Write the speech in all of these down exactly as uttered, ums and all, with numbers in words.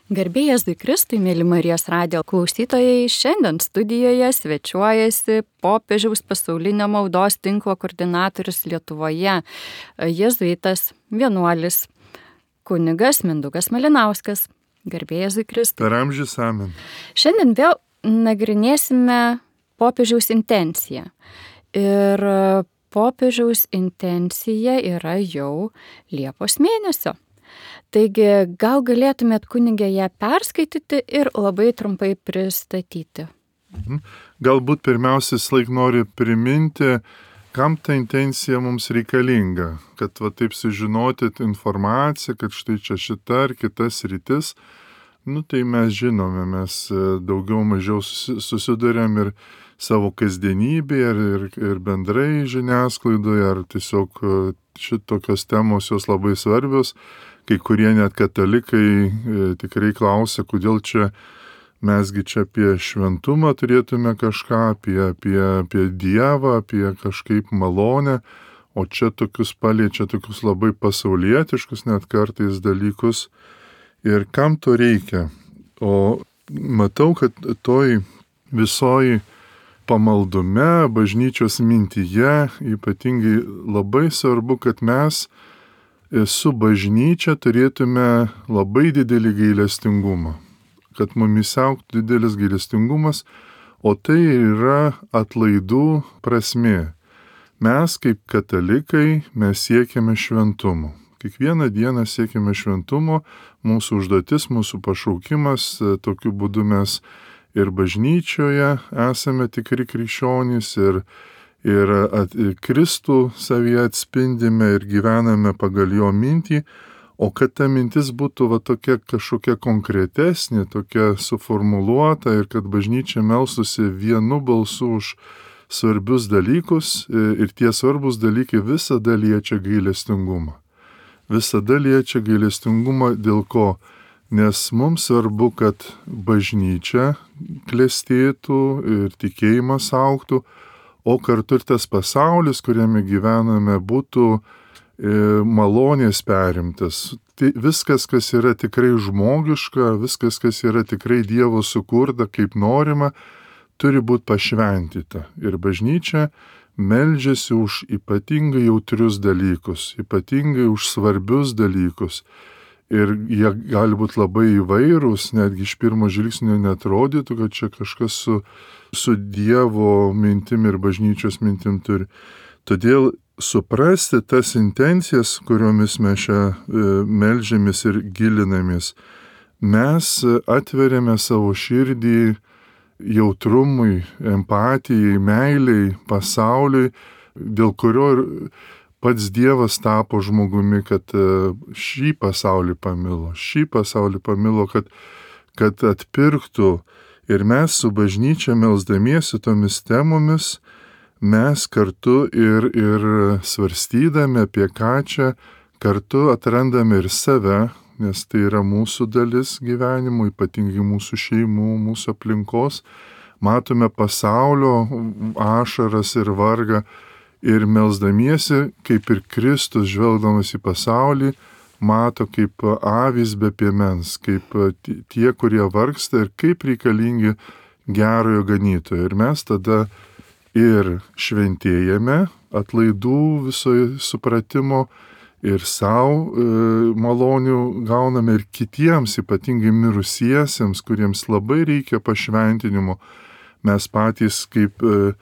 Garbė Jėzui Kristui, mėly Marijos radijo klausytojai, šiandien studijoje svečiuojasi popiežiaus pasaulinio maldos tinklo koordinatorius Lietuvoje, jėzuitas, vienuolis, kunigas Mindaugas Malinauskas. Garbė Jėzui Kristui. Per amžius amen. Šiandien vėl nagrinėsime popiežiaus intenciją. Ir popiežiaus intencija yra jau Liepos mėnesio. Taigi, gal galėtumėt kunigė ją perskaityti ir labai trumpai pristatyti. Galbūt pirmiausia, laik noriu priminti, kam ta intencija mums reikalinga, kad va taip sužinoti informaciją, kad štai čia šita ar kitas rytis, nu tai mes žinome, mes daugiau mažiau susiduriam ir savo kasdienybėje, ir, ir, ir bendrai žiniasklaidoje, ar tiesiog šitokios temos jos labai svarbios. Kai kurie net katalikai e, tikrai klausia, kodėl čia mesgi čia apie šventumą turėtume kažką, apie, apie, apie Dievą, apie kažkaip malonę, o čia tokius paliečia tokius labai pasaulietiškus net kartais dalykus. Ir kam to reikia? O matau, kad toj visoj pamaldume, bažnyčios mintyje, ypatingai labai svarbu, kad mes su bažnyčia turėtume labai didelį gailestingumą, kad mumis augtų didelis gailestingumas, o tai yra atlaidų prasmė. Mes kaip katalikai, mes siekiame šventumo. Kiekvieną dieną siekiame šventumo, mūsų užduotis, mūsų pašaukimas, tokiu būdu mes ir bažnyčioje esame tikri krikščionys ir Ir at, Kristų savyje atspindime ir gyvename pagal jo mintį, o kad ta mintis būtų va tokia kažkokia konkretesnė, tokia suformuluota ir kad bažnyčia melstųsi vienu balsu už svarbius dalykus ir tie svarbus dalykai visada liečia gailestingumą. Visada liečia gailestingumą dėl ko? Nes mums svarbu, kad bažnyčia klestėtų ir tikėjimas augtų, o kartu ir tas pasaulis, kuriame gyvename, būtų e, malonės perimtas. Tai viskas, kas yra tikrai žmogiška, viskas, kas yra tikrai Dievo sukurta, kaip norima, turi būti pašventyta. Ir bažnyčia meldžiasi už ypatingai jautrius dalykus, ypatingai už svarbius dalykus. Ir jie gali būti labai įvairūs, netgi iš pirmo žvilgsnio neatrodytų, kad čia kažkas su su Dievo mintim ir bažnyčios mintim turi. Todėl suprasti tas intencijas, kuriomis mes čia e, meldžiamės ir gilinamės, mes atveriame savo širdį jautrumui, empatijai, meiliai, pasauliui, dėl kurio ir pats Dievas tapo žmogumi, kad šį pasaulį pamilo, šį pasaulį pamilo, kad, kad atpirktų. Ir mes su bažnyčia melsdamiesi tomis temomis, mes kartu ir, ir svarstydami apie ką čia, kartu atrandame ir save, nes tai yra mūsų dalis gyvenimo, ypatingai mūsų šeimų, mūsų aplinkos. Matome pasaulio ašaras ir vargą ir melsdamiesi, kaip ir Kristus žvelgdamas į pasaulį, mato kaip avys be piemens, kaip tie, kurie vargsta ir kaip reikalingi gerojo ganytojo. Ir mes tada ir šventėjame atlaidų visoje supratimo ir savo e, malonių gauname ir kitiems, ypatingai mirusiesiems, kuriems labai reikia pašventinimo. Mes patys kaip, e,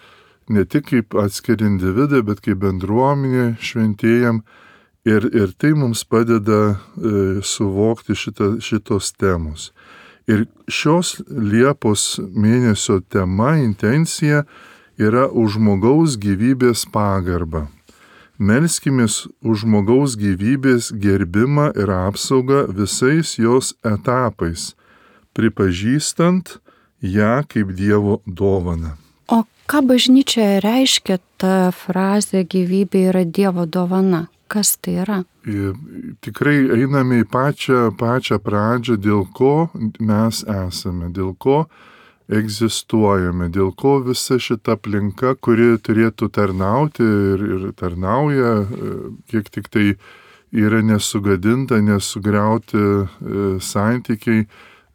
ne tik kaip atskiri individai, bet kaip bendruomenė šventėjam. Ir, ir tai mums padeda e, suvokti šita, šitos temos. Ir šios Liepos mėnesio tema, intencija yra už žmogaus gyvybės pagarbą. Melskimės už žmogaus gyvybės gerbimą ir apsaugą visais jos etapais, pripažįstant ją kaip Dievo dovaną. O ką bažnyčioje reiškia ta frazė gyvybė yra Dievo dovana? Kas tai yra? Ir tikrai einame į pačią, pačią pradžią, dėl ko mes esame, dėl ko egzistuojame, dėl ko visa šita aplinka, kuri turėtų tarnauti ir, ir tarnauja, kiek tik tai yra nesugadinta, nesugriauti e, santykiai,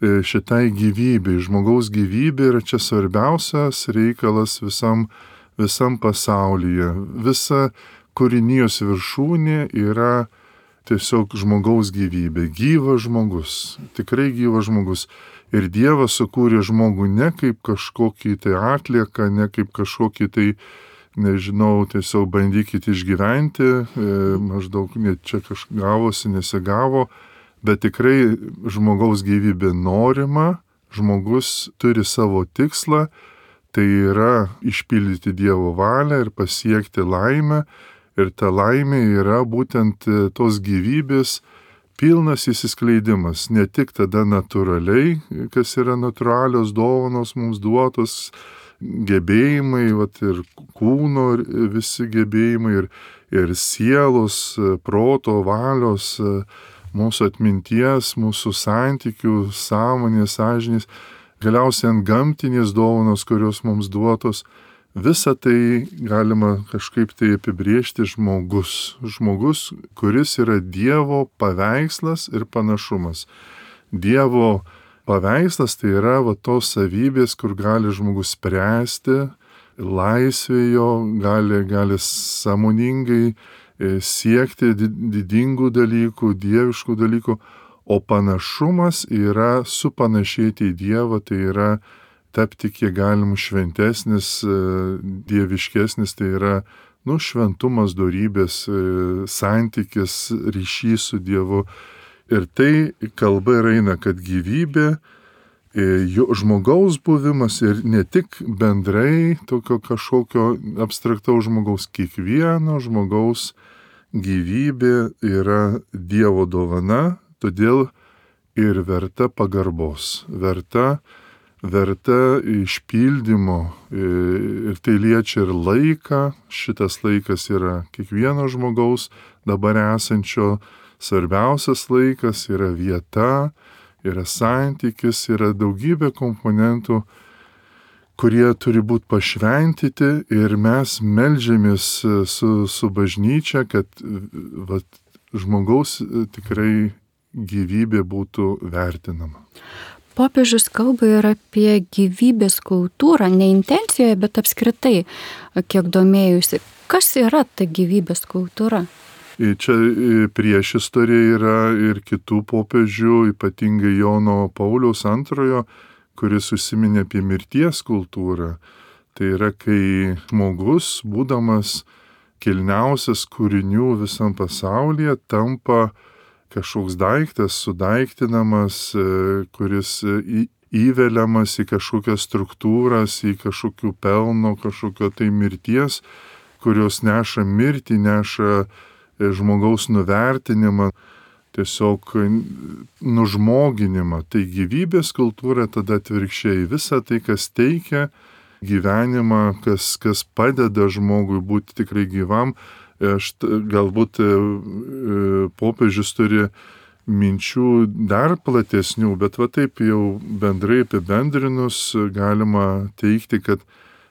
šitai gyvybei. Žmogaus gyvybė yra čia svarbiausias reikalas visam, visam pasaulyje. Visa kūrinijos viršūnė yra tiesiog žmogaus gyvybė. Gyvas žmogus, tikrai gyvas žmogus. Ir Dievas sukūrė žmogų ne kaip kažkokį tai atlieką, ne kaip kažkokį tai, nežinau, tiesiog bandykit išgyventi, e, maždaug net čia kažkas gavosi, nesigavo, bet tikrai žmogaus gyvybė norima, žmogus turi savo tikslą, tai yra išpildyti Dievo valią ir pasiekti laimę. Ir ta laimė yra būtent tos gyvybės pilnas įsiskleidimas, ne tik tada natūraliai, kas yra natūralios dovanos mums duotos, gebėjimai, vat, ir kūno visi gebėjimai, ir, ir sielos, proto, valios, mūsų atminties, mūsų santykių, sąmonės, sąžinės, galiausiai ant gamtinės dovanos, kurios mums duotos. Visą tai galima kažkaip tai apibrėžti žmogus. Žmogus, kuris yra Dievo paveikslas ir panašumas. Dievo paveikslas tai yra va tos savybės, kur gali žmogus spręsti, laisvėjo, gali, gali sąmoningai siekti didingų dalykų, dieviškų dalykų, o panašumas yra supanašėti į Dievą, tai yra tapti kiek galim šventesnis, dieviškesnis, tai yra, nu, šventumas, dorybės, santykis, ryšys su Dievu. Ir tai kalba ir eina, kad gyvybė, jo žmogaus buvimas ir ne tik bendrai tokio kažkokio abstraktaus žmogaus, kiekvieno žmogaus gyvybė yra Dievo dovana, todėl ir verta pagarbos, verta verta išpildymo, ir tai liečia ir laiką. Šitas laikas yra kiekvieno žmogaus dabar esančio svarbiausias laikas, yra vieta, yra santykis, yra daugybė komponentų, kurie turi būti pašventyti, ir mes meldžiamės su, su bažnyčia, kad vat, žmogaus tikrai gyvybė būtų vertinama. Popiežius kalba ir apie gyvybės kultūrą, ne intencijoje, bet apskritai, kiek domėjusi. Kas yra ta gyvybės kultūra? Čia prieš istoriją yra ir kitų popiežių, ypatingai Jono Pauliaus antrojo, kuris užsiminė apie mirties kultūrą. Tai yra, kai žmogus, būdamas kilniausias kūrinių visam pasaulyje, tampa kažkoks daiktas, sudaiktinamas, kuris įveliamas į kažkokias struktūras, į kažkokių pelno, kažkokio tai mirties, kurios neša mirtį, neša žmogaus nuvertinimą, tiesiog nužmoginimą. Tai gyvybės kultūra tada atvirkščiai. Visa tai, kas teikia gyvenimą, kas, kas padeda žmogui būti tikrai gyvam. Aš galbūt popiežius turi minčių dar platesnių, bet va taip jau bendrai apibendrinus galima teikti, kad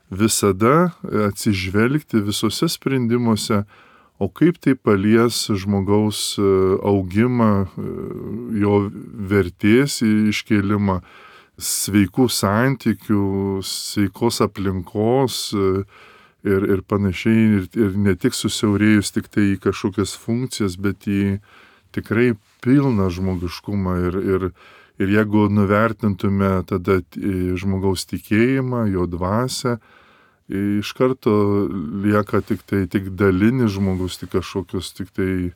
visada atsižvelgti visose sprendimuose, o kaip tai palies žmogaus augimą, jo vertės iškėlimą, sveikų santykių, sveikos aplinkos, Ir, ir panašiai, ir, ir ne tik susiaurėjus tik tai į kažkokias funkcijas, bet į tikrai pilną žmogiškumą. Ir, ir, ir jeigu nuvertintume tada žmogaus tikėjimą, jo dvasią, iš karto lieka tik tai tik dalinis žmogus, tik kažkokius, tik tai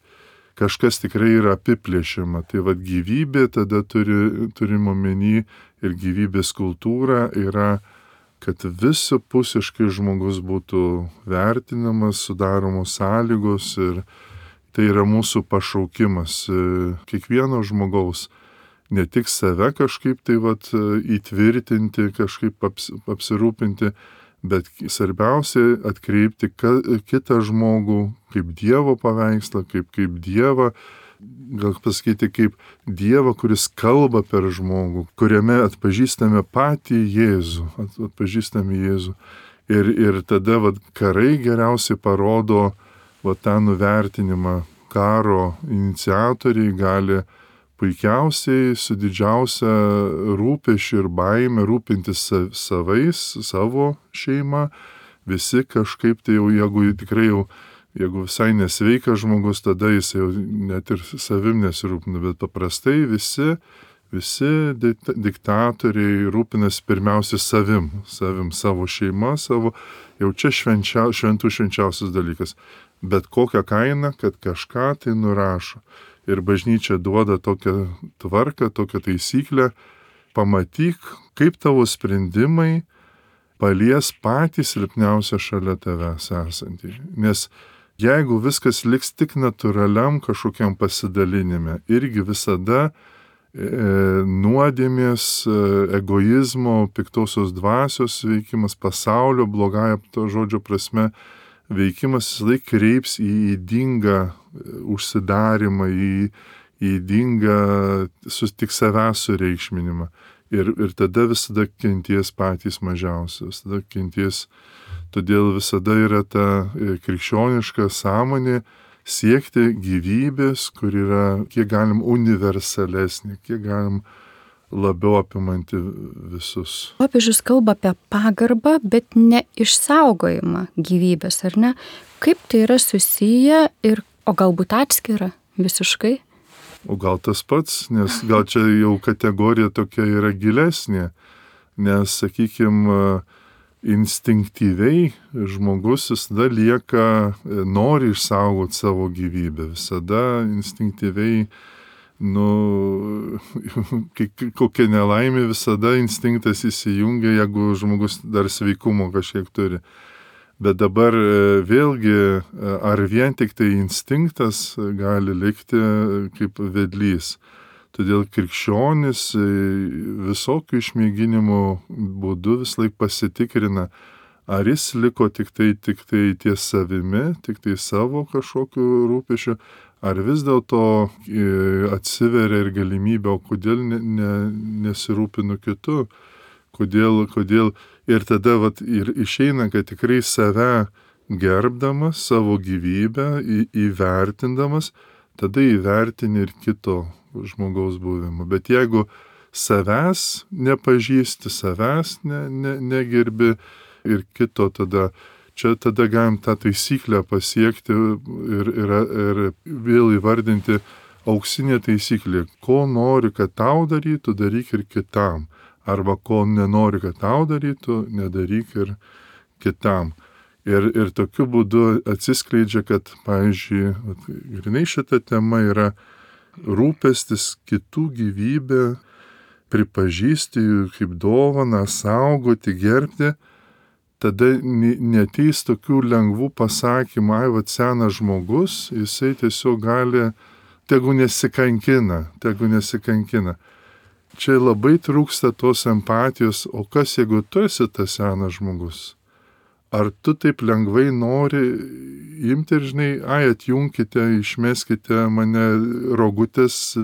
kažkas tikrai yra apiplėšiama. Tai vad gyvybė tada turi, turime omeny, ir gyvybės kultūra yra, kad visapusiškai žmogus būtų vertinamas, sudaromos sąlygos, ir tai yra mūsų pašaukimas kiekvieno žmogaus. Ne tik save kažkaip tai vat, įtvirtinti, kažkaip aps, apsirūpinti, bet svarbiausia atkreipti ka, kitą žmogų kaip Dievo paveikslą, kaip, kaip Dievą, gal pasakyti, kaip Dievą, kuris kalba per žmogų, kuriame atpažįstame patį Jėzų, at, atpažįstame Jėzų. Ir, ir tada vat, karai geriausiai parodo vat, tą nuvertinimą. Karo iniciatoriai gali puikiausiai su didžiausia rūpesčiu ir baime rūpintis savais, savo šeima. Visi kažkaip tai jau, jeigu tikrai jau, jeigu visai nesveikas žmogus, tada jis jau net ir savim nesirūpina, bet paprastai visi, visi diktatoriai rūpinasi pirmiausia savim, savim, savo šeima, savo, jau čia švenčia, šventų švenčiausias dalykas. Bet kokią kainą, kad kažką tai nurašo. Ir bažnyčia duoda tokią tvarką, tokią taisyklę, pamatyk, kaip tavo sprendimai palies patį silpniausią šalia tavęs esantį. Nes jeigu viskas liks tik natūraliam kažkokiam pasidalinime, irgi visada e, nuodėmės, e, egoizmo, piktosios dvasios veikimas, pasaulio blogąja to žodžio prasme veikimas visą laiką kreips į ydingą užsidarimą, į ydingą tik savęs sureikšminimą. Ir, ir tada visada kenties patys mažiausi, visada kenties. Todėl visada yra ta krikščioniška sąmonė siekti gyvybės, kur yra kiek galim universalesnė, kiek galim labiau apimanti visus. Popiežius kalba apie pagarbą, bet ne išsaugojimą gyvybės, ar ne? Kaip tai yra susiję ir, o galbūt atskira visiškai? O gal tas pats, nes gal čia jau kategorija tokia yra gilesnė, nes, sakykime, instinktyviai žmogus visada lieka, nori išsaugoti savo gyvybę, visada instinktyviai, nu, kokia nelaimė, visada instinktas įsijungia, jeigu žmogus dar sveikumo kažkiek turi. Bet dabar vėlgi, ar vien tik tai instinktas gali likti kaip vedlys. Todėl krikščionis visokių išmėginimų būdu vis laik pasitikrina, ar jis liko tik tai, tik tai ties savimi, tik tai savo kažkokiu rūpešiu, ar vis dėlto atsiveria ir galimybė, o kodėl ne, ne, nesirūpinu kitu, kodėl, kodėl. Ir tada vat, ir išeina, kad tikrai save gerbdamas, savo gyvybę į, įvertindamas, tada įvertini ir kito žmogaus buvimą. Bet jeigu savęs nepažįsti, savęs ne, ne, negerbi ir kito, tada čia tada galim tą taisyklę pasiekti ir, ir, ir vėl įvardinti auksinė taisyklė. Ko nori, kad tau darytų, daryk ir kitam. Arba ko nenori, kad tau darytų, nedaryk ir kitam. Ir, ir tokiu būdu atsiskleidžia, kad, pavyzdžiui, grinai šita tema yra rūpestis kitų gyvybę, pripažįsti jų kaip dovaną, saugoti, gerbti. Tada neteis tokių lengvų pasakymų, ai, vat senas žmogus, jisai tiesiog gali, tegu nesikankina, tegu nesikankina. Čia labai trūksta tos empatijos, o kas jeigu tu esi tas senas žmogus? Ar tu taip lengvai nori imti ir, žinai, ai, atjunkite, išmeskite mane rogutės,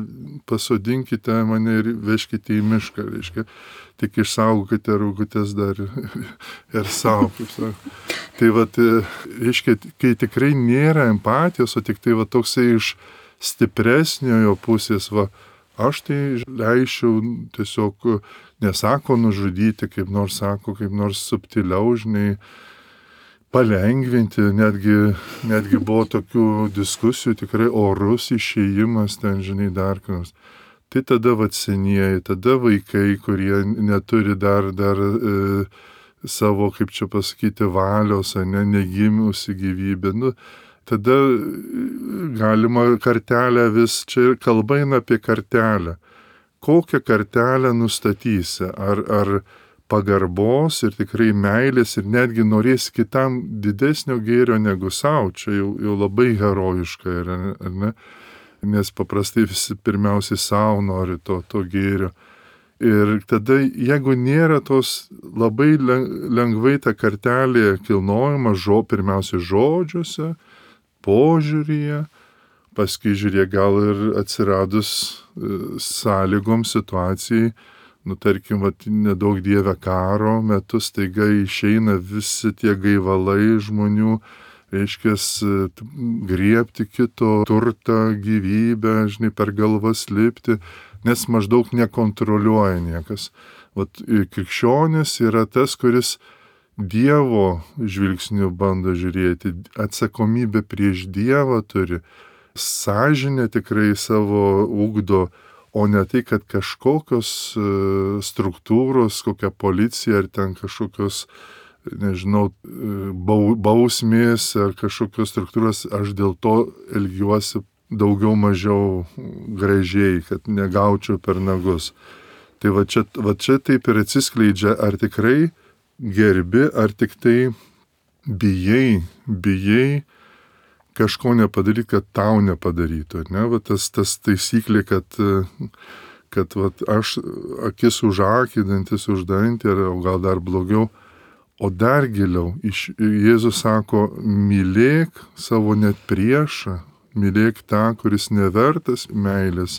pasodinkite mane ir veškite į mišką, reiškia, tik išsaugokite rogutės dar ir savo, kaip sako. Tai vat, reiškia, kai tikrai nėra empatijos, o tik tai va toksai iš stipresniojo pusės, va, aš tai leičiau tiesiog, nesako nužudyti, kaip nors sako, kaip nors subtiliau, žinai, palengvinti, netgi, netgi buvo tokių diskusijų, tikrai orus išėjimas ten, žinai, dar kas. Tai tada vat senieji, tada vaikai, kurie neturi dar, dar e, savo, kaip čia pasakyti, valios, ne, negimiusi gyvybė, nu, tada galima kartelę vis, čia kalba eina apie kartelę. Kokią kartelę nustatysi? Ar, ar pagarbos ir tikrai meilės ir netgi norės kitam didesnio gėrio negu savo, čia jau, jau labai herojiška yra, ar ne? Nes paprastai visi pirmiausiai savo nori to, to gėrio. Ir tada, jeigu nėra tos labai lengvai ta kartelė kilnojama, žo, pirmiausia žodžiuose, požiūryje, paskui žiūrėk, gal ir atsiradus sąlygom situacijai, nu tarkim, vat, nedaug dieve karo metu staiga išeina visi tie gaivalai žmonių, reiškia, griebti kito turtą, gyvybę, žinai, per galvas lipti, nes maždaug nekontroliuoja niekas. Vat krikščionis yra tas, kuris Dievo žvilgsniu bando žiūrėti, atsakomybę prieš Dievą turi, sąžinę tikrai savo ugdo, o ne tai, kad kažkokios struktūros, kokia policija ar ten kažkokios, nežinau, bausmės ar kažkokios struktūros, aš dėl to elgiuosi daugiau mažiau gražiai, kad negaučiau per nagus. Tai va čia, va čia taip ir atsiskleidžia, ar tikrai gerbi, ar tik tai bijai, bijai kažko nepadaryti, kad tau nepadarytų. Ne? Va tas, tas taisyklė, kad, kad va, aš akis už akį, dantis už dantį, o gal dar blogiau, o dar giliau. Iš, Jėzus sako, mylėk savo net priešą, mylėk tą, kuris nevertas meilės.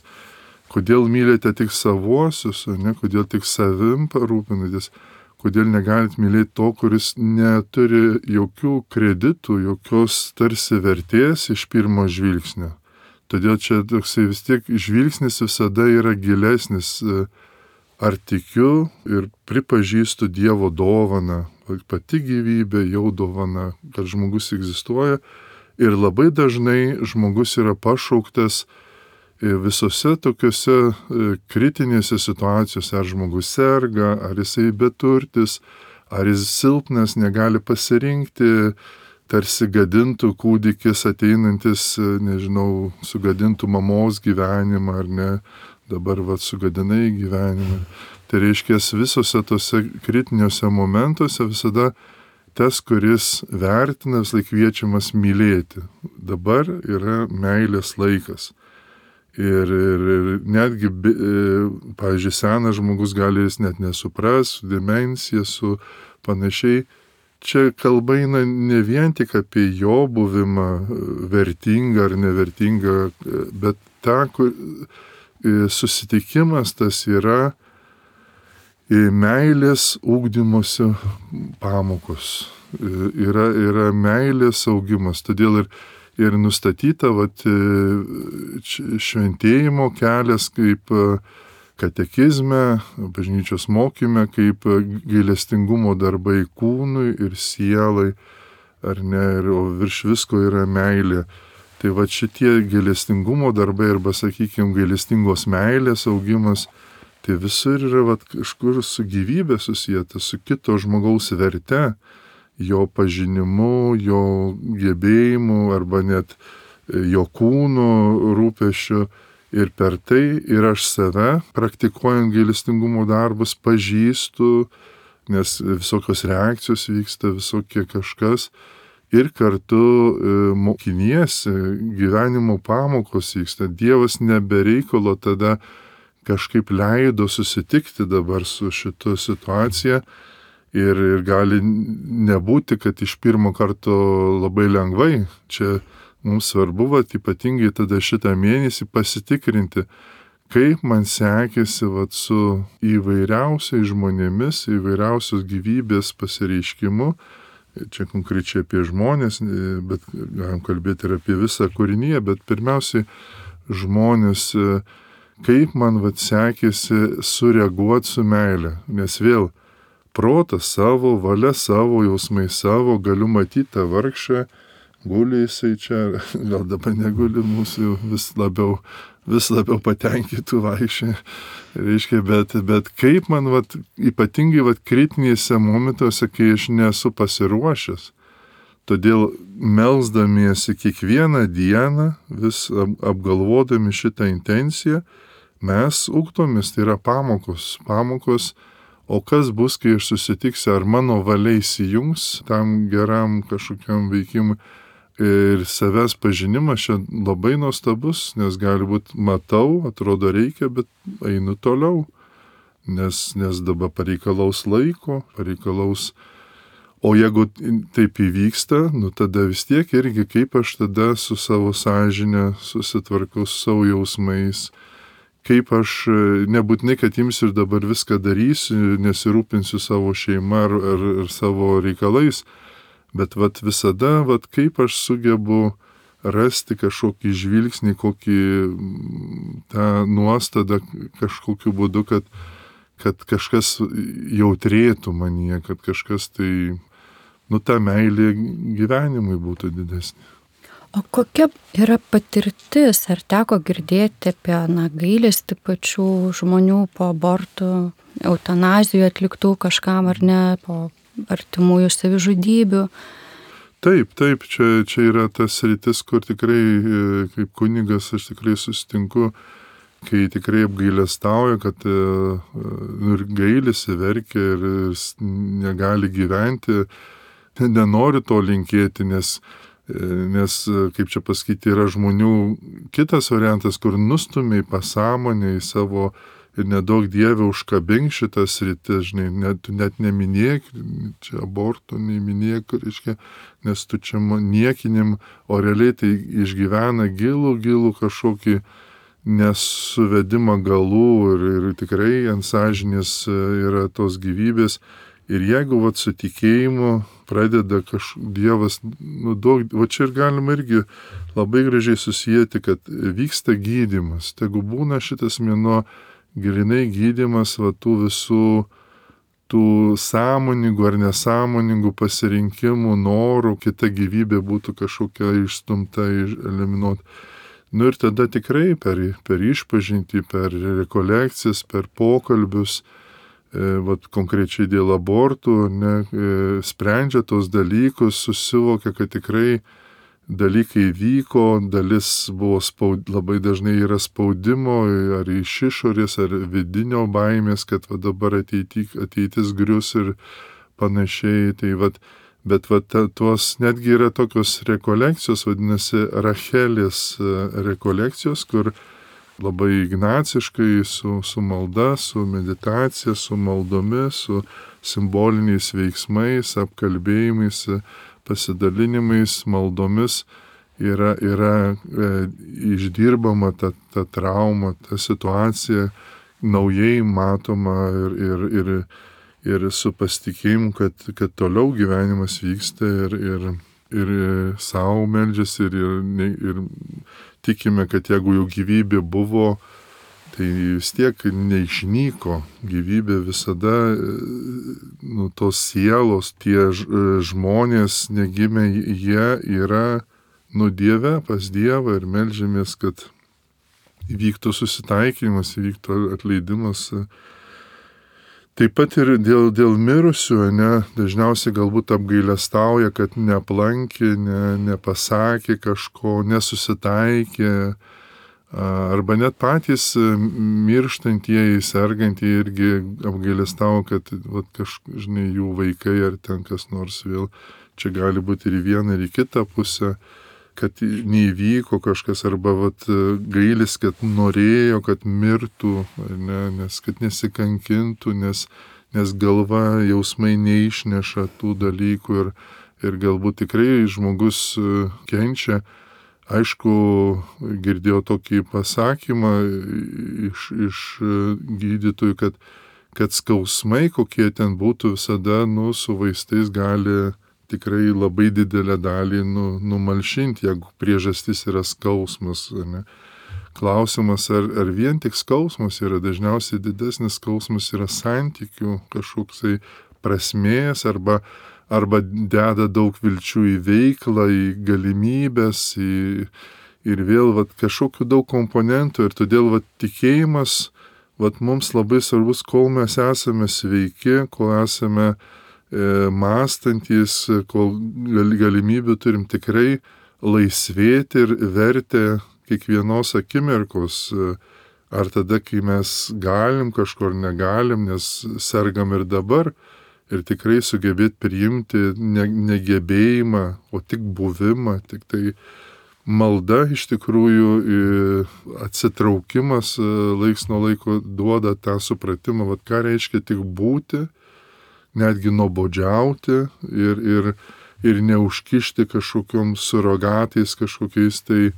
Kodėl mylite tik savuosius, ne? Kodėl tik savim parūpinatės, kodėl negalit mylėti to, kuris neturi jokių kreditų, jokios tarsi vertės iš pirmo žvilgsnio. Todėl čia toksai vis tiek žvilgsnis visada yra gilesnis, ar tikiu ir pripažįstu Dievo dovaną, pati gyvybė jau dovana, kad žmogus egzistuoja ir labai dažnai žmogus yra pašauktas visose tokiuose kritinėse situacijose, ar žmogus serga, ar jisai beturtis, ar jis silpnas, negali pasirinkti, tarsi gadintų kūdikis ateinantis, nežinau, sugadintų mamos gyvenimą, ar ne, dabar vat sugadinai gyvenimą. Tai reiškia, visose tose kritiniuose momentuose visada tas, kuris vertina, vis laik kviečiamas mylėti. Dabar yra meilės laikas. Ir, ir, ir netgi, pavyzdžiui, senas žmogus gali jis net nesupras, su demencija, su panašiai. Čia kalba eina ne vien tik apie jo buvimą, vertingą ar nevertingą, bet tą, kur susitikimas tas yra meilės ugdymosi pamokos. Yra, yra meilės augimas. Todėl ir Ir nustatyta vat, šventėjimo kelias kaip katekizme, bažnyčios mokyme, kaip gailestingumo darbai kūnui ir sielai, ar ne, ir, o virš visko yra meilė. Tai vat šitie gailestingumo darbai arba, sakykime, gailestingos meilės augimas, tai visur yra vat, kažkur su gyvybė susijęta, su kito žmogaus verte, jo pažinimu, jo gebėjimu arba net jo kūno rūpesčiu ir per tai ir aš save, praktikuojant gailestingumo darbus, pažįstu, nes visokios reakcijos vyksta, visokie kažkas ir kartu mokiniesi, gyvenimo pamokos vyksta. Dievas nebereikalo tada kažkaip leido susitikti dabar su šito situacija. Ir, ir gali nebūti, kad iš pirmo karto labai lengvai. Čia mums svarbu, vat, ypatingai tada šitą mėnesį pasitikrinti, kaip man sekėsi vat, su įvairiausiais žmonėmis, įvairiausios gyvybės pasireiškimu. Čia konkrečiai apie žmonės, bet galim kalbėti ir apie visą kūriniją, bet pirmiausiai žmonės, kaip man vat, sekėsi sureaguoti su meile. Nes vėl protas savo, valia savo, jausmai savo, galiu matyti tą vargšą, guli jisai čia, gal dabar neguli, mūsų vis labiau, vis labiau patenkintų vaikščiai. Reiškia, bet, bet kaip man, vat, ypatingai vat, kritinėse momentuose, kai aš nesu pasiruošęs, todėl melsdamiesi kiekvieną dieną, vis apgalvodami šitą intenciją, mes ugdomės, tai yra pamokos, pamokos. O kas bus, kai aš susitiksiu, ar mano valia įsijungs tam geram kažkokiam veikimui ir savęs pažinimas čia labai nuostabus, nes gali būti matau, atrodo reikia, bet einu toliau, nes, nes dabar pareikalaus laiko, pareikalaus. O jeigu taip įvyksta, nu tada vis tiek irgi kaip aš tada su savo sąžine susitvarkau, su savo jausmais, kaip aš nebūtinai, kad imsiu ir dabar viską darysiu, nesirūpinsiu savo šeima ar, ar, ar savo reikalais, Bet vat visada, vat kaip aš sugebu rasti kažkokį žvilgsnį, kokį tą nuostadą kažkokiu būdu, kad, kad kažkas jautrėtų manyje, kad kažkas tai, nu, ta meilė gyvenimui būtų didesnė. O kokia yra patirtis, ar teko girdėti apie, na, gailestį pačių žmonių po abortų, eutanazijų atliktų kažkam ar ne, po artimųjų savižudybių? Taip, taip, čia, čia yra tas sritis, kur tikrai, kaip kunigas, aš tikrai susitinku, kai tikrai apgailestauja, kad ir gailisi, verkia ir negali gyventi, nenori to linkėti, nes Nes, kaip čia pasakyti, yra žmonių kitas variantas, kur nustumia į pasąmonę, į savo ir nedaug Dievę užkabink šitas rytis, žinai, net, net neminėk, čia abortų neminėk, reiškia, nes tu čia niekinim, o realiai tai išgyvena gilų, gilų kažkokį nesuvedimą galų ir, ir tikrai ant sąžinės yra tos gyvybės. Ir jeigu vat su tikėjimu pradeda kažkoks Dievas, nu daug, va čia ir galima irgi labai gražiai susijęti, kad vyksta gydymas. Tegu būna šitas mėnuo grinai gydymas va tų visų tų sąmoningų ar nesąmoningų pasirinkimų, norų, kita gyvybė būtų kažkokia išstumta, eliminuota. Nu ir tada tikrai per, per išpažintį, per rekolekcijas, per pokalbius, vat konkrečiai dėl abortų, ne, sprendžia tos dalykus, susivokia, kad tikrai dalykai vyko, dalis buvo spaud, labai dažnai yra spaudimo, ar iš išorės, ar vidinio baimės, kad va dabar ateity, ateitis grius ir panašiai. Tai vat, bet vat tuos netgi yra tokios rekolekcijos, vadinasi Rachelės rekolekcijos, kur labai ignaciškai, su, su malda, su meditacija, su maldomis, su simboliniais veiksmais, apkalbėjimais, pasidalinimais, maldomis yra, yra e, išdirbama ta, ta trauma, ta situacija, naujai matoma ir, ir, ir, ir su pasitikėjimu, kad, kad toliau gyvenimas vyksta ir, ir, ir savo meldžiasi ir, ir, ir tikime, kad jeigu jau gyvybė buvo, tai vis tiek neišnyko. Gyvybė visada, nu, tos sielos, tie žmonės negimę, jie yra, nu, Dieve, pas Dievą ir meldžiamės, kad įvyktų susitaikymas, įvyktų atleidimas. Taip pat ir dėl, dėl mirusių, ne, dažniausiai galbūt apgailestauja, kad neaplankė, ne, nepasakė kažko, nesusitaikė, arba net patys mirštantieji, sergantieji irgi apgailestauja, kad vat, kažkaip, žinai, jų vaikai ar ten kas nors vėl, čia gali būti ir į vieną, ir į kitą pusę, kad neįvyko kažkas, arba vat, gailis, kad norėjo, kad mirtų, ne, nes kad nesikankintų, nes, nes galva, jausmai neišneša tų dalykų ir, ir galbūt tikrai žmogus kenčia. Aišku, girdėjau tokį pasakymą iš, iš gydytojų, kad, kad skausmai, kokie ten būtų, visada, nu, su vaistais gali tikrai labai didelę dalį nu, numalšinti, jeigu priežastis yra skausmas. Ne? Klausimas, ar, ar vien tik skausmas yra, dažniausiai didesnis skausmas yra santykių kažkoksai prasmės, arba, arba deda daug vilčių į veiklą, į galimybės, į, ir vėl vat, kažkokių daug komponentų. Ir todėl vat, tikėjimas vat, mums labai svarbus, kol mes esame sveiki, kol esame mąstantis, kol galimybių turim tikrai laisvėti ir vertę kiekvienos akimirkos, ar tada, kai mes galim kažkur negalim, nes sergam ir dabar, ir tikrai sugebėti priimti ne, negebėjimą, o tik buvimą, tik tai malda iš tikrųjų atsitraukimas laiks nuo laiko duoda tą supratimą, vat ką reiškia tik būti, netgi nuobodžiauti ir, ir, ir neužkišti kažkokiom surogatais, kažkokiais tai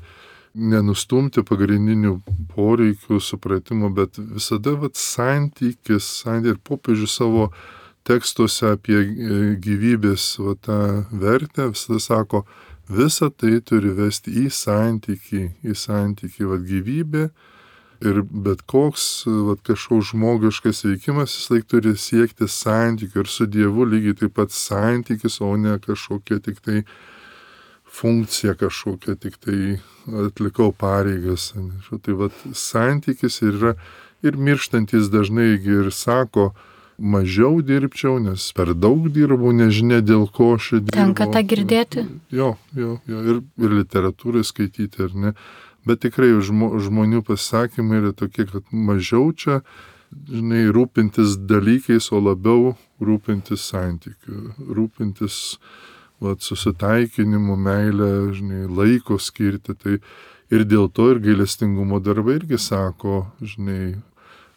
nenustumti pagrindinių poreikių supratimo, bet visada vat, santykis, santykis ir popiežius savo tekstuose apie gyvybės va, tą vertę visada sako, visa tai turi vesti į santykį, į santykį, va, gyvybė ir bet koks va, kažkoks žmogiškas veikimas vis laik turi siekti santykių ir su Dievu lygiai taip pat santykis, o ne kažkokia tik tai funkcija, kažkokia tik tai atlikau pareigas. Tai va, santykis yra ir mirštantis dažnai ir sako, mažiau dirbčiau, nes per daug dirbau, nežinia dėl ko aš dirbau. Tenka tą girdėti? Jo, jo, jo, ir, ir literatūrai skaityti, ar ne. Bet tikrai žmo, žmonių pasakymai yra tokie, kad mažiau čia, žinai, rūpintis dalykais, o labiau rūpintis santykiu, rūpintis va, susitaikinimu, meilę, žinai, laiko skirti. Tai ir dėl to ir gailestingumo darbai irgi sako, žinai,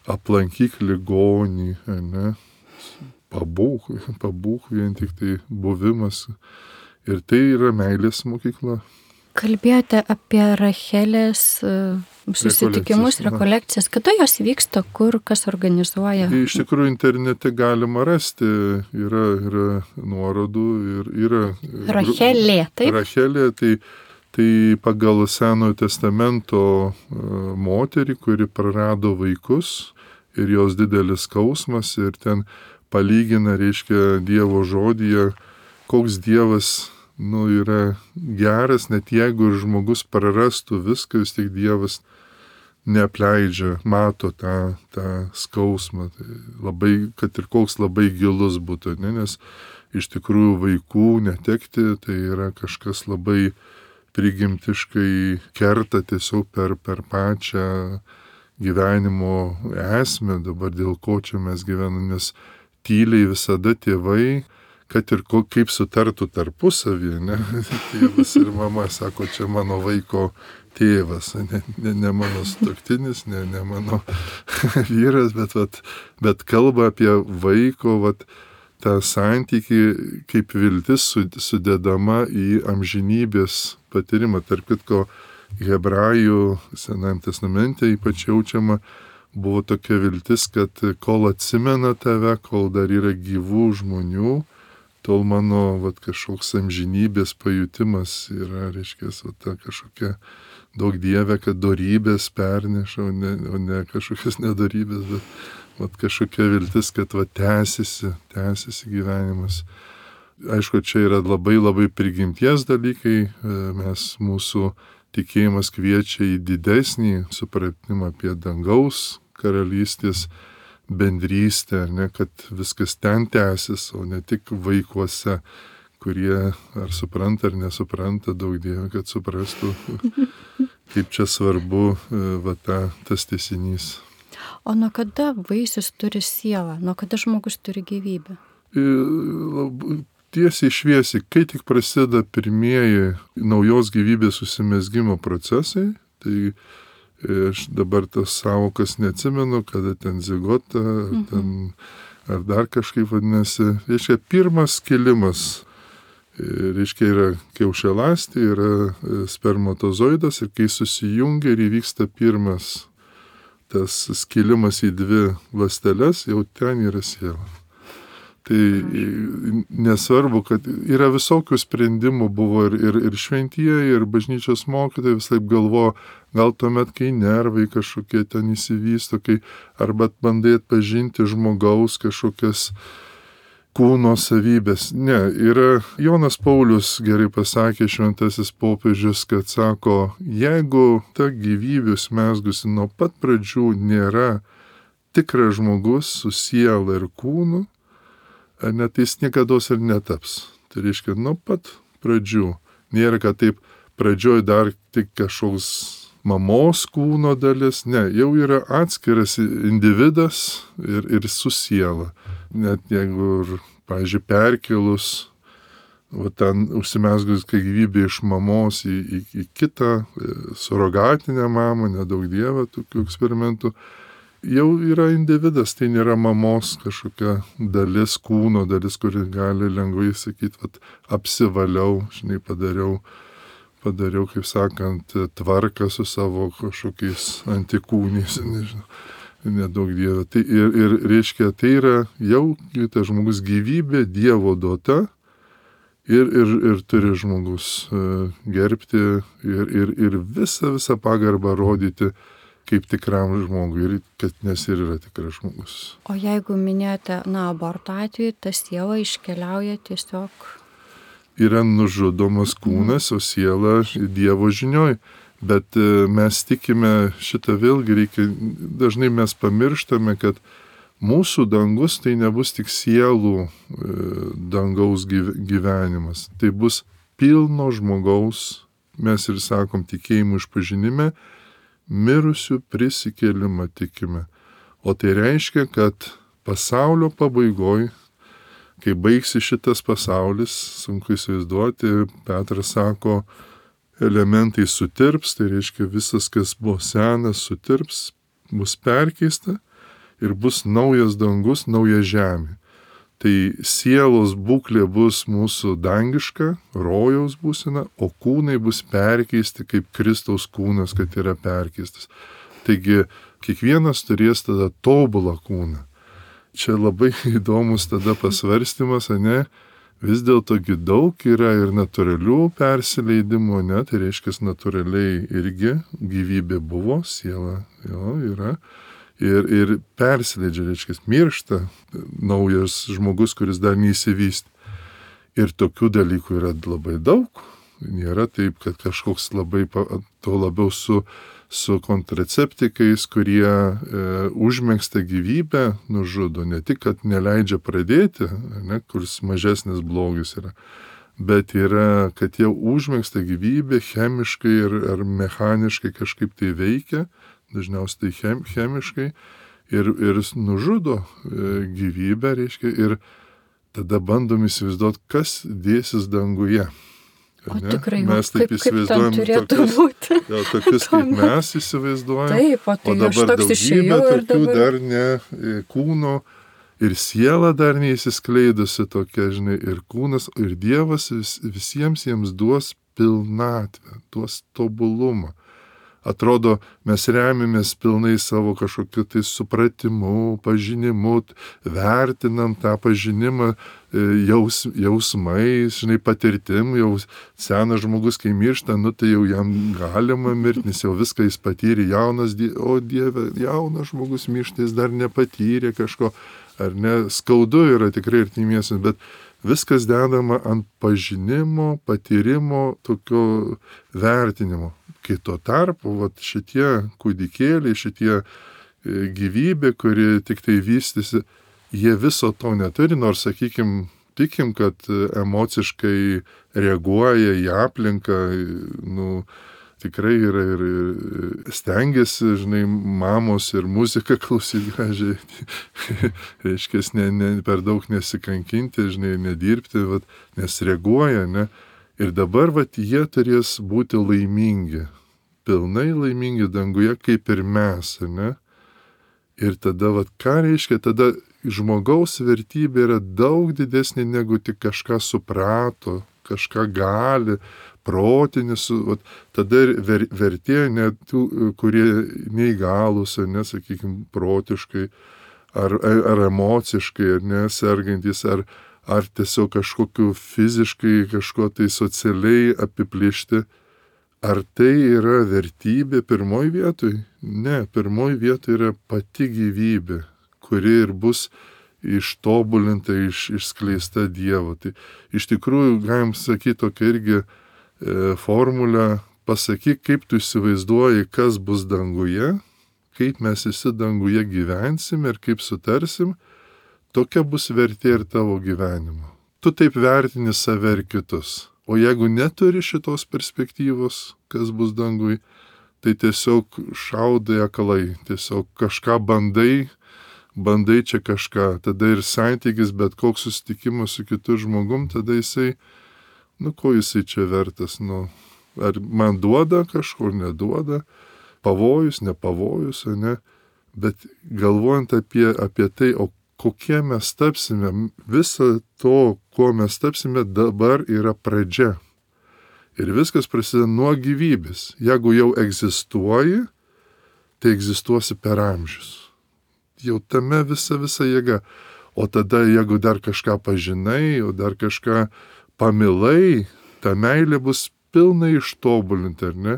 aplankyk ligonį, ne, pabūk, pabūk vien tik tai buvimas. Ir tai yra meilės mokykla. Kalbėjote apie Rachelės susitikimus, rekolekcijas. Kada jos vyksta, kur, kas organizuoja? Tai iš tikrųjų internete galima rasti, yra, yra nuorodų ir yra... Rachelė, taip? Rachelė, tai, tai pagal Senojo testamento moterį, kuri prarado vaikus ir jos didelis skausmas ir ten palygina, reiškia, Dievo žodyje, koks Dievas nu, yra geras, net jeigu ir žmogus prarastų viską, vis tik Dievas neapleidžia, mato tą, tą skausmą. Tai labai, kad ir koks labai gilus būtų, ne? Nes iš tikrųjų vaikų netekti, tai yra kažkas labai prigimtiškai kerta tiesiog per, per pačią gyvenimo esmę, dabar dėl ko čia mes gyvename, nes tyliai visada tėvai, kad ir ko, kaip sutartų tarpusavį, ne? Tėvas ir mama sako, čia mano vaiko tėvas, ne, ne, ne mano sutuoktinis, ne, ne mano vyras, bet, vat, bet kalba apie vaiko vat, tą santykį, kaip viltis sudedama į amžinybės patyrimą. Tarp kitko, Hebrajų Senajame testamente ypač jaučiama buvo tokia viltis, kad kol atsimena tave, kol dar yra gyvų žmonių, tol mano vat, kažkoks amžinybės pajutimas yra, reiškia, vat, ta kažkokia daug Dieve, kad dorybės perneša, o ne, o ne kažkokias nedorybės, bet vat, kažkokia viltis, kad vat, tęsiasi, tęsiasi gyvenimas. Aišku, čia yra labai labai prigimties dalykai, mes mūsų tikėjimas kviečia į didesnį supratimą apie dangaus karalystės bendrystę, ne, kad viskas ten tęsis, o ne tik vaikuose, kurie ar supranta ar nesupranta, daug Dieve, kad suprastų, kaip čia svarbu va, ta, tas tęsinys. O nuo kada vaisius turi sielą? Nuo kada žmogus turi gyvybę? Tiesiai šviesiai, kai tik prasideda pirmieji naujos gyvybės susimezgimo procesai, tai aš dabar tas savokas neatsimenu, kada ten zigota, mhm. ten, ar dar kažkaip vadinasi. Reiškia, pirmas skilimas, reiškia, yra kiaušialąstė, yra spermatozoidas ir kai susijungia ir įvyksta pirmas tas skilimas į dvi ląsteles, jau ten yra siela. Tai nesvarbu, kad yra visokių sprendimų, buvo ir, ir, ir šventieji, ir bažnyčios mokytojai vis taip galvo, gal tuomet, kai nervai kažkokie ten įsivysto, kai arba bandai atpažinti žmogaus kažkokias kūno savybės. Ne, yra Jonas Paulius gerai pasakė, šventasis popiežius, kad sako, jeigu ta gyvybė užmezgusi nuo pat pradžių nėra tikras žmogus su siela ir kūnu, net jis niekados ir netaps. Tai reiškia, nuo pat pradžių. Nėra, kad taip pradžioj dar tik kažkoks mamos kūno dalis. Ne, jau yra atskiras individas ir, ir su siela. Net jeigu, pavyzdžiui, perkelus, va, ten užsimezgus, kai gyvybė iš mamos į, į, į kitą surogatinę mamą, nedaug Dieve tokių eksperimentų, jau yra individas, tai nėra mamos kažkokia dalis, kūno dalis, kuri gali lengvai sakyti, vat, apsivaliau, žinai, padariau, padariau, kaip sakant, tvarką su savo kažkokiais antikūniais, nežinau. nedaug Dieve. Tai ir, ir reiškia, tai yra jau tas žmogus gyvybė Dievo duota ir, ir, ir turi žmogus gerbti ir, ir, ir visą, visą pagarbą rodyti kaip tikram žmogui, ir kad nes ir yra tikras žmogus. O jeigu minėjote, na, aborto atveju, ta siela iškeliauja tiesiog... Yra nužudomas kūnas, o siela Dievo žinioj. Bet mes tikime, šitą vėlgi reikia, dažnai mes pamirštame, kad mūsų dangus tai nebus tik sielų dangaus gyvenimas. Tai bus pilno žmogaus, mes ir sakom tikėjimų išpažinime, mirusių prisikėlimą tikime. O tai reiškia, kad pasaulio pabaigoj, kai baigsi šitas pasaulis, sunku įsivaizduoti, Petras sako, elementai sutirps, tai reiškia visas, kas buvo senas, sutirps, bus perkeista ir bus naujas dangus, nauja žemė. Tai sielos būklė bus mūsų dangiška, rojaus būsena, o kūnai bus perkeisti kaip Kristaus kūnas, kad yra perkeistas. Taigi kiekvienas turės tada tobulą kūną. Čia labai įdomus tada pasvarstymas, ne? Vis dėlto daug yra ir natūralių persileidimų, ne, tai reiškia, natūraliai irgi gyvybė buvo, siela jo, yra, ir, ir persileidžia, reiškia, miršta naujas žmogus, kuris dar neįsivystė. Ir tokių dalykų yra labai daug, nėra taip, kad kažkoks labai, to labiau su, su kontraceptikais, kurie e, užmėgsta gyvybę, nužudo, ne tik, kad neleidžia pradėti, ne, kuris mažesnis blogis yra, bet yra, kad jie užmėgsta gyvybę chemiškai ir, ar mechaniškai kažkaip tai veikia, dažniausiai tai chem, chemiškai, ir, ir nužudo e, gyvybę, reiškia, ir tada bandom įsivaizduoti, kas dėsis danguje. O tikrai, mes taip kaip, įsivaizduojam kaip turėtų tokius, būti. jau, tokius, kaip mes įsivaizduojam. Taip, o tai o dabar daugybė tokių dabar... dar ne kūno ir siela dar neįsiskleidusi tokia, žinai, ir kūnas, ir Dievas vis, visiems jiems duos pilnatvę, duos tobulumą. Atrodo, mes remiamės pilnai savo kažkokiu tai supratimu, pažinimu, vertinam tą pažinimą jaus, jausmais, žinai, patirtim, jau senas žmogus, kai miršta, nu tai jau jam galima mirti, nes jau viską jis patyrė, jaunas, o Dieve, jaunas žmogus miršta, jis dar nepatyrė kažko, ar ne, skaudu yra tikrai artimiesiems, bet viskas dedama ant pažinimo, patyrimo, tokio vertinimo. Kai tuo tarpu, vat, šitie kūdikėliai, šitie gyvybė, kuri tik tai vystysi, jie viso to neturi, nors, sakykim, tikim, kad emociškai reaguoja į aplinką, nu, tikrai yra ir, ir stengiasi, žinai, mamos ir muziką klausyti gražiai, reiškia, ne, ne, per daug nesikankinti, žinai, nedirbti, vat, nes reaguoja, ne. Ir dabar, vat, jie turės būti laimingi, pilnai laimingi danguje, kaip ir mes, ne? Ir tada, vat, ką reiškia, tada žmogaus vertybė yra daug didesnė negu tik kažką suprato, kažką gali, protinis, vat, tada ver, vertė net tų, kurie neįgalus, ne, sakykime, protiškai, ar, ar, ar emociškai, ar nesergantis, ar ar tiesiog kažkokiu fiziškai, kažko tai socialiai apiplėšti, ar tai yra vertybė pirmoj vietoj? Ne, pirmoj vietoj yra pati gyvybė, kuri ir bus ištobulinta, iš, išskleista Dievo. Tai iš tikrųjų galim sakyti tokia irgi e, formulę, pasakyk, kaip tu įsivaizduoji, kas bus danguje, kaip mes visi danguje gyvensim ir kaip sutarsim, tokia bus vertė ir tavo gyvenimo. Tu taip vertini save ir kitus. O jeigu neturi šitos perspektyvos, kas bus dangui, tai tiesiog šaudai aklai, tiesiog kažką bandai, bandai čia kažką. Tada ir santykis, bet koks susitikimas su kitu žmogum, tada jisai, nu ko jisai čia vertas, nu, ar man duoda kažkur, neduoda, pavojus, nepavojus, ne, bet galvojant apie, apie tai, o kokie mes tapsime, viso to, ko mes tapsime, dabar yra pradžia. Ir viskas prasideda nuo gyvybės. Jeigu jau egzistuoji, tai egzistuosi per amžius. jau tame visa visa jėga. O tada, jeigu dar kažką pažinai, o dar kažką pamilai, ta meilė bus pilnai ištobulinta, ar ne?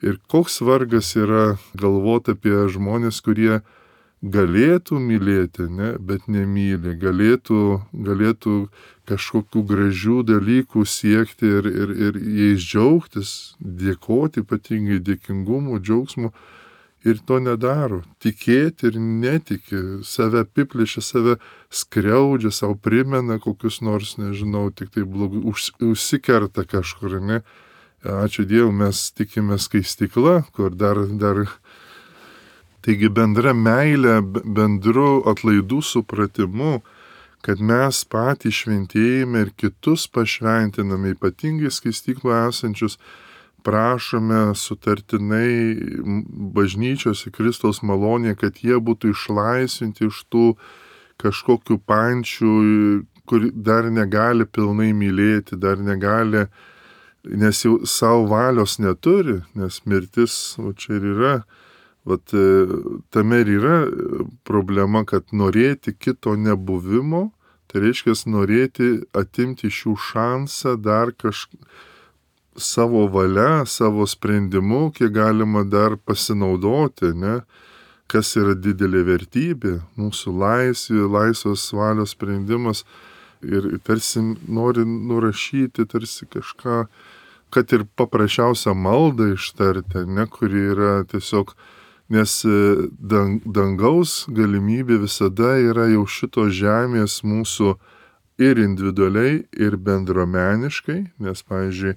Ir koks vargas yra galvoti apie žmonės, kurie galėtų mylėti, ne, bet nemyli, galėtų, galėtų kažkokių gražių dalykų siekti ir, ir, ir jais džiaugtis, dėkoti, ypatingai dėkingumu, džiaugsmu, ir to nedaro. Tikėti ir netiki, save apiplėšia, save skriaudžia, savo primena kokius nors, nežinau, tik tai blogai, už, užsikerta kažkur, ne. Ačiū Dievui, mes tikime skaistykla, kur dar, dar taigi bendra meilė, bendru atlaidų supratimu, kad mes patys šventėjime ir kitus pašventiname, ypatingai skaistykloje esančius, prašome sutartinai bažnyčios į Kristaus malonę, kad jie būtų išlaisvinti iš tų kažkokių pančių, kur dar negali pilnai mylėti, dar negali, nes jau savo valios neturi, nes mirtis, o čia ir yra. Vat tame ir yra problema, kad norėti kito nebuvimo, tai reiškia norėti atimti iš jų šansą dar kažką savo valia, savo sprendimu, kiek galima dar pasinaudoti, ne? Kas yra didelė vertybė, mūsų laisvė, laisvos valios sprendimas ir tarsi nori nurašyti, tarsi kažką, kad ir paprasčiausią maldą ištarti, ne, kuri yra tiesiog, nes dangaus galimybė visada yra jau šito žemės mūsų ir individualiai, ir bendruomeniškai, nes, pavyzdžiui,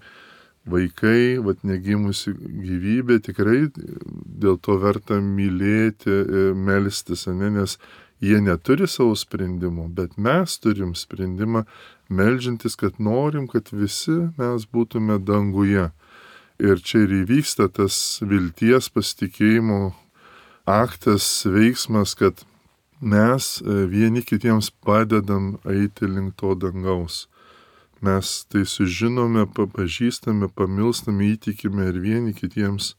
vaikai, vat negimusi gyvybė, tikrai dėl to verta mylėti, melstis, ne, nes jie neturi savo sprendimo, bet mes turim sprendimą meldžiantis, kad norim, kad visi mes būtume danguje. Ir čia ir įvyksta tas vilties, pasitikėjimo aktas, veiksmas, kad mes vieni kitiems padedam eiti link to dangaus. Mes tai sužinome, papažįstame, pamilstame, įtikime ir vieni kitiems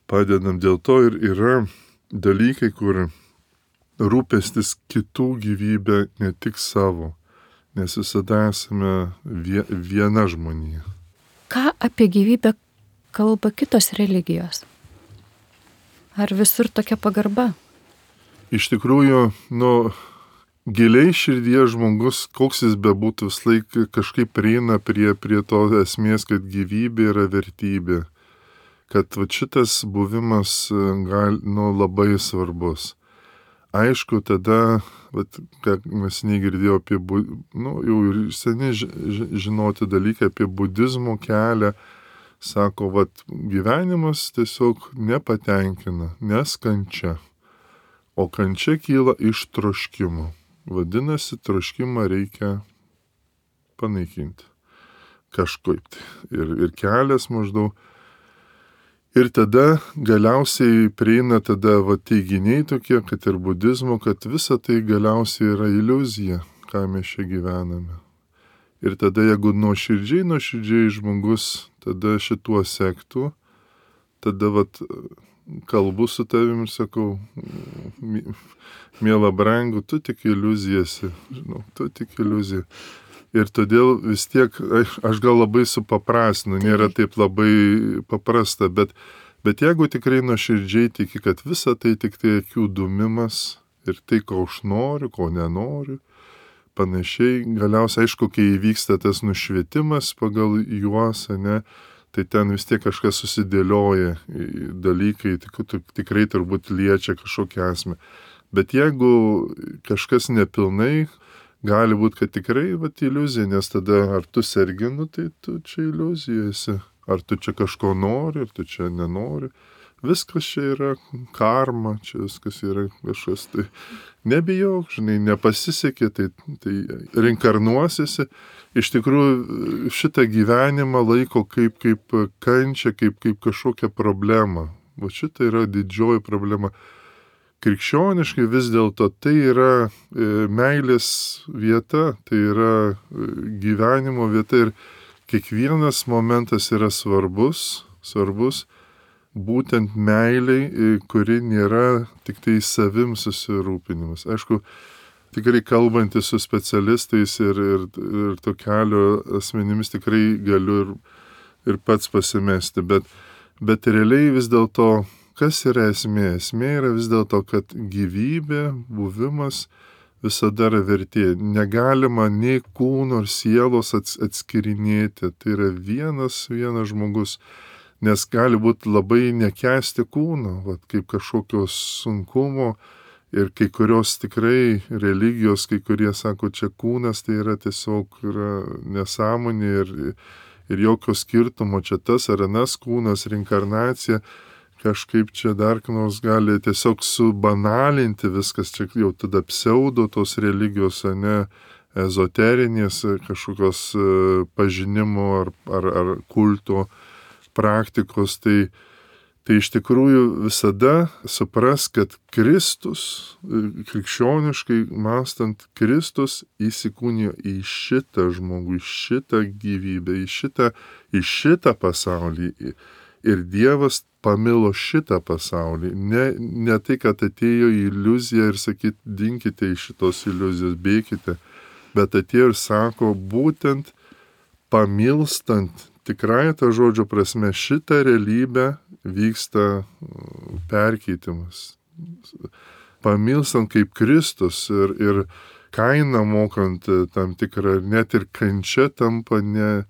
padedam. Dėl to ir yra dalykai, kur rūpestis kitų gyvybę, ne tik savo, nes visada esame viena žmonija. Ką apie gyvybę kalba kitos religijos? Ar visur tokia pagarba? Iš tikrųjų, nu, giliai širdyje žmogus, koks jis bebūtų, vis laik kažkaip prieina prie, prie to esmės, kad gyvybė yra vertybė. Kad va, šitas buvimas gal, nu, labai svarbus. Aišku, tada, va, kad mes negirdėjome apie, nu, jau ir seniai žinoti dalykai apie budizmo kelią, sako, va, gyvenimas tiesiog nepatenkina, nes kančia. O kančia kyla iš troškimo. Vadinasi, troškimą reikia panaikinti. Kažkaip. Ir, ir kelias maždaug. Ir tada galiausiai prieina tada va, teiginiai tokie, kad ir budizmo, kad visa tai galiausiai yra iliuzija, ką mes čia gyvename. Ir tada, jeigu nuoširdžiai, nuoširdžiai žmogus tada šituo sektų, tada vat, kalbu su tavimi ir sakau, miela brangu, tu tik iliuzijasi, žinau, tu tik iliuzija. Ir todėl vis tiek, aš gal labai supaprastinu, nėra taip labai paprasta, bet, bet jeigu tikrai nuoširdžiai tiki, kad visa tai tik tai akių dūmimas ir tai, ko aš noriu, ko nenoriu, panašiai, galiausiai, aišku, kai įvyksta tas nušvietimas pagal juos, ne, tai ten vis tiek kažkas susidėlioja dalykai, tik, tikrai turbūt liečia kažkokią esmę. Bet jeigu kažkas nepilnai, gali būti, kad tikrai vat, iliuzija, nes tada ar tu serginu, tai tu čia iliuzija esi. Ar tu čia kažko nori, ar tu čia nenori. Viskas čia yra karma, čia viskas yra kažkas. Tai nebijok, žinai, nepasisekė, tai, tai reinkarnuosiesi. Iš tikrųjų šitą gyvenimą laiko kaip, kaip kančia, kaip, kaip kažkokią problemą. O šita yra didžioji problema. Krikščioniškai vis dėlto tai yra e, meilės vieta, tai yra e, gyvenimo vieta ir kiekvienas momentas yra svarbus, svarbus, būtent meiliai, kuri nėra tik tai savim susirūpinimas. Aišku, tikrai kalbantis su specialistais ir, ir, ir to kelio asmenimis tikrai galiu ir, ir pats pasimesti, bet, bet realiai vis dėlto, kas yra esmė? Esmė yra vis dėlto, kad gyvybė, buvimas visada yra vertė. Negalima nei kūno ar sielos atskirinėti. Tai yra vienas, vienas žmogus. Nes gali būti labai nekęsti kūno, vat, kaip kažkokios sunkumo ir kai kurios tikrai religijos, kai kurie sako, čia kūnas tai yra tiesiog yra nesąmonė ir, ir jokio skirtumo, čia tas ar anas kūnas, reinkarnacija, kažkaip čia dar nors gali tiesiog subanalinti viskas, čia jau tada pseudo tos religijos, ne ezoterinės kažkokios pažinimo ar, ar, ar kulto praktikos, tai, tai iš tikrųjų visada supras, kad Kristus, krikščioniškai mąstant, Kristus įsikūnijo į šitą žmogų, į šitą gyvybę, į šitą, į šitą pasaulį. Ir Dievas pamilo šitą pasaulį. Ne, ne tai, kad atėjo į iliuziją ir sakyt, dinkite iš šitos iliuzijos, bėkite, bet atėjo ir sako, būtent pamilstant tikrai ta žodžio prasme, šitą realybę vyksta perkeitimas. Pamilstant kaip Kristus ir, ir kainą mokant tam tikrą, net ir kančia tampa ne,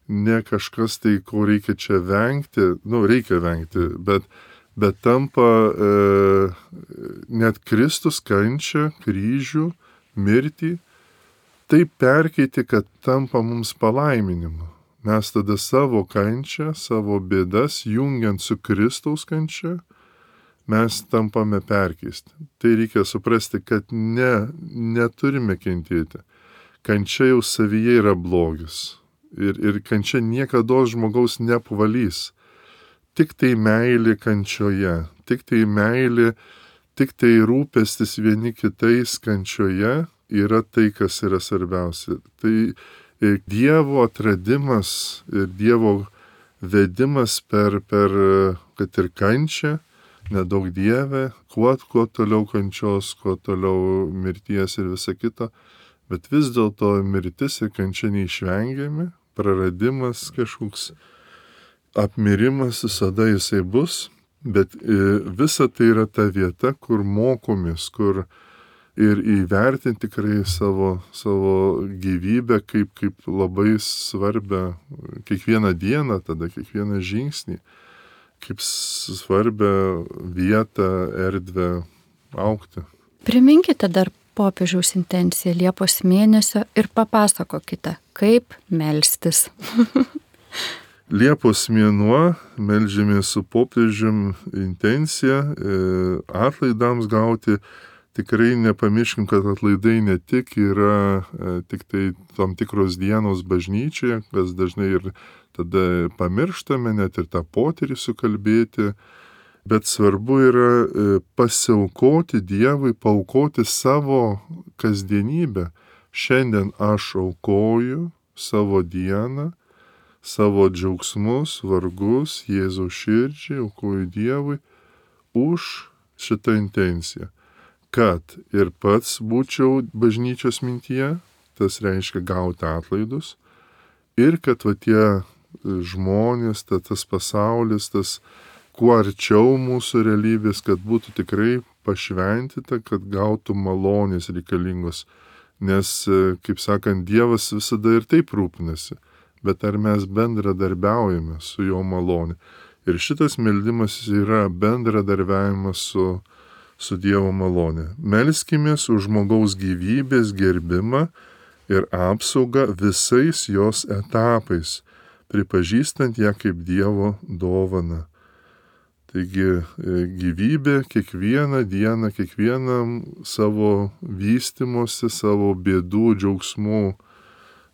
ne kažkas tai, ko reikia čia vengti, nu, reikia vengti, bet, bet tampa e, net Kristus kančia, kryžių, mirtį, taip perkeiti, kad tampa mums palaiminimu. Mes tada savo kančią, savo bėdas, jungiant su Kristaus kančia, mes tampame perkeisti. Tai reikia suprasti, kad ne, neturime kentėti. Kančia jau savyje yra blogis. Ir, ir kančia niekada žmogaus neapvalys. Tik tai meilė kančioje, tik tai meilė, tik tai rūpestis vieni kitais kančioje yra tai, kas yra svarbiausia. Tai ir Dievo atradimas ir Dievo vedimas per, per kad ir kančią, nedaug Dieve, kuo, kuo toliau kančios, kuo toliau mirties ir visa kita, bet vis dėlto mirtis ir kančia neišvengiami, praradimas kažkoks, apmirimas visada jisai bus, bet visa tai yra ta vieta, kur mokomės, kur ir įvertinti tikrai savo, savo gyvybę kaip, kaip labai svarbią kiekvieną dieną, tada kiekvieną žingsnį, kaip svarbią vietą, erdvę augti. Priminkite dar popiežiaus intenciją Liepos mėnesio ir papasakokite, kaip melstis. Liepos mėnuo meldžiamės su popiežium intencija atlaidams gauti. Tikrai nepamirškim, kad atlaidai ne tik yra e, tik tai tam tikros dienos bažnyčioje, kas dažnai ir tada pamirštame, net ir tą potyrį sukalbėti, bet svarbu yra e, pasiaukoti Dievui, paaukoti savo kasdienybę. Šiandien aš aukoju savo dieną, savo džiaugsmus, vargus, Jėzaus širdžiai, aukoju Dievui už šitą intenciją. Kad ir pats būčiau bažnyčios mintyje, tas reiškia gauti atlaidus, ir kad va tie žmonės, ta, tas pasaulis, tas kuo arčiau mūsų realybės, kad būtų tikrai pašventyta, kad gautų malonės reikalingos. Nes, kaip sakant, Dievas visada ir taip rūpinasi, bet ar mes bendradarbiaujame su jo malonė. Ir šitas meldimas yra bendradarbiavimas su su Dievo malonė. Melskimės už žmogaus gyvybės gerbimą ir apsaugą visais jos etapais, pripažįstant ją kaip Dievo dovaną. Taigi gyvybė kiekvieną dieną, kiekvienam savo vystymosi, savo bėdų, džiaugsmų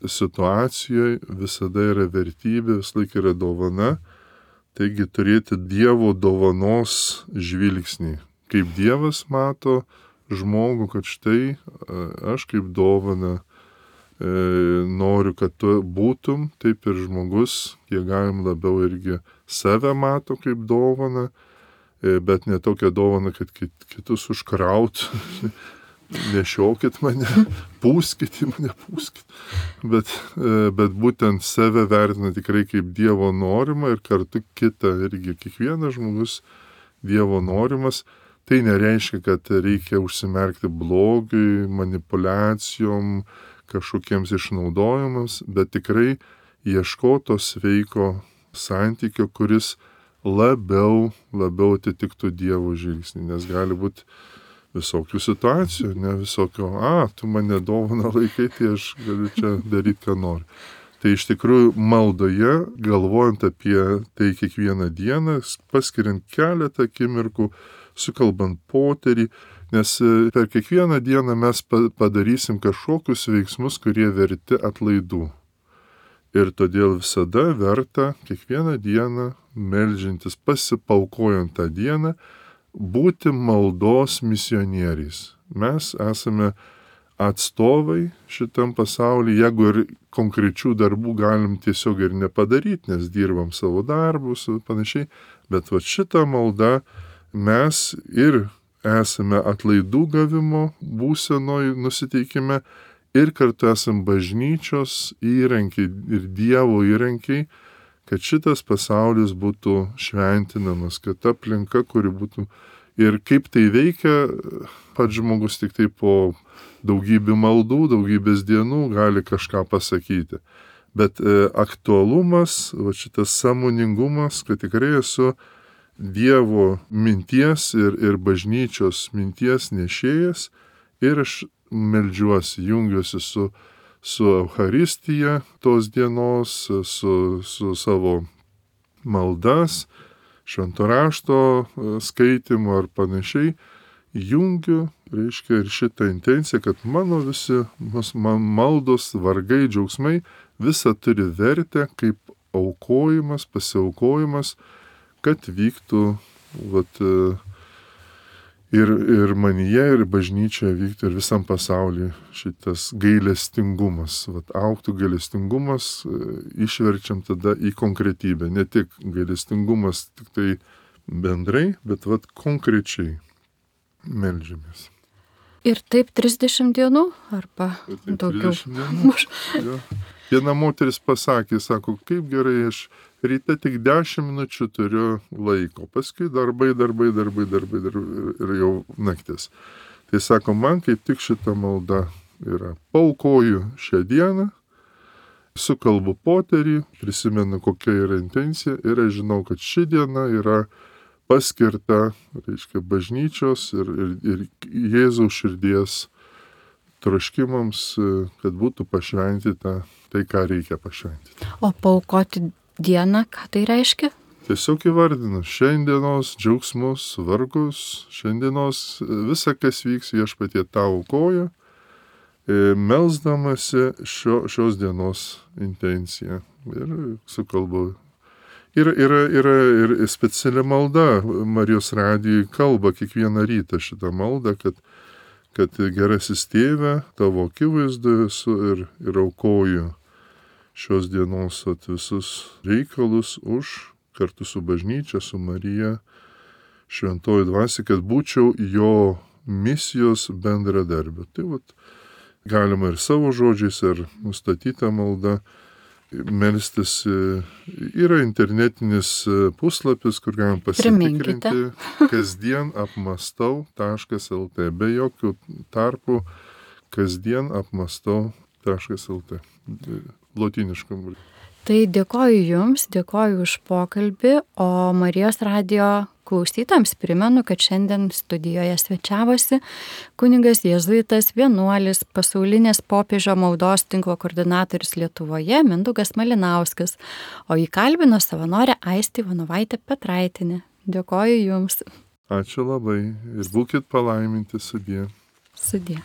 situacijoje visada yra vertybė, vis laik yra dovana. Taigi turėti Dievo dovanos žvilgsnį. Kaip Dievas mato žmogų, kad štai aš kaip dovana e, noriu, kad tu būtum, taip ir žmogus, kiek galim labiau irgi save mato kaip dovaną, e, bet ne tokią dovaną, kad kit, kitus užkraut, nešiokit mane, pūskit į mane, pūskit. Bet, e, bet būtent save vertina tikrai kaip Dievo norima ir kartu kitą irgi, kiekvienas žmogus Dievo norimas. Tai nereiškia, kad reikia užsimerkti blogiui, manipulacijom, kažkokiems išnaudojimams, bet tikrai ieškoti to sveiko santykio, kuris labiau, labiau atitiktų Dievo žvilgsnį, nes gali būti visokių situacijų, ne visokio, a, tu mane dovana laikai, tai aš galiu čia daryti, ką noriu. Tai iš tikrųjų maldoje, galvojant apie tai kiekvieną dieną, paskiriant keletą akimirkų, sukalbant poterį, nes per kiekvieną dieną mes padarysim kažkokius veiksmus, kurie verti atlaidų. Ir todėl visada verta kiekvieną dieną, meldžiantis, pasipaukojant tą dieną, būti maldos misionieriais. Mes esame atstovai šitam pasaulyje, jeigu ir konkrečių darbų galim tiesiog ir nepadaryti, nes dirbam savo darbus ir panašiai, bet va šitą maldą mes ir esame atlaidų gavimo būsenoj nusiteikime ir kartu esame bažnyčios įrankiai ir Dievo įrankiai, kad šitas pasaulis būtų šventinamas, kad ta aplinka, kuri būtų ir kaip tai veikia, pats žmogus tik tai po daugybė maldų, daugybės dienų gali kažką pasakyti. Bet e, aktualumas, va šitas sąmoningumas, kad tikrai esu Dievo minties ir, ir bažnyčios minties nešėjas ir aš meldžiuosi, jungiuosi su, su Eucharistija tos dienos, su, su savo maldas, švento rašto skaitimu ar panašiai, jungiu, reiškia, ir šitą intenciją, kad mano visi man maldos, vargai, džiaugsmai, visa turi vertę kaip aukojimas, pasiaukojimas, kad vyktų vat, ir, ir manyje, ir bažnyčioje vyktų ir visam pasaulyje šitas gailestingumas. Vat, auktų gailestingumas, išverčiam tada į konkretybę. Ne tik gailestingumas tik tai bendrai, bet vat, konkrečiai meldžiamės. Ir taip trisdešimt dienų arba daugiau? Dienų. Viena moteris pasakė, sako, kaip gerai, aš ryte tik dešimt minučių turiu laiko, paskui darbai, darbai, darbai, darbai, darbai ir jau naktis. Tai sako, man kaip tik šita malda yra. Paukoju šią dieną, sukalbu poterį, prisimenu, kokia yra intencija ir aš žinau, kad ši diena yra paskirta, reiškia, bažnyčios ir, ir, ir Jėzaus širdies troškimams, kad būtų pašventyta tai, ką reikia pašventyti. O paaukoti dieną, ką tai reiškia? Tiesiog įvardinu šiandienos džiaugsmus, vargus, šiandienos visa, kas vyks, viešpatie tau aukoja, melsdamasi šio, šios dienos intenciją. Ir sukalbu. Yra, yra, yra ir speciali malda, Marijos radijui kalba kiekvieną rytą šitą maldą, kad kad gerasis tėve, tavo akivaizdoje esu ir, ir aukoju šios dienos at visus reikalus už, kartu su bažnyčia, su Marija, šventoji dvasia, kad būčiau jo misijos bendradarbiu. Tai vat, galima ir savo žodžiais, ir nustatyta malda melstis. Yra internetinis puslapis, kur galim pasitikrinti, kasdien apmastau taškas el tė, be jokių tarpų, kasdien apmastau taškas el tė, lotyniškam. Tai dėkoju Jums, dėkoju už pokalbį, o Marijos radijo klausytams primenu, kad šiandien studijoje svečiavosi kunigas jėzuitas vienuolis, pasaulinės popiežio maldos tinklo koordinatorius Lietuvoje Mindaugas Malinauskas, o jį kalbino savanorė Aistė Ivanovaitė Petraitinė. Dėkoju Jums. Ačiū labai ir būkit palaiminti, sudie. Sudie.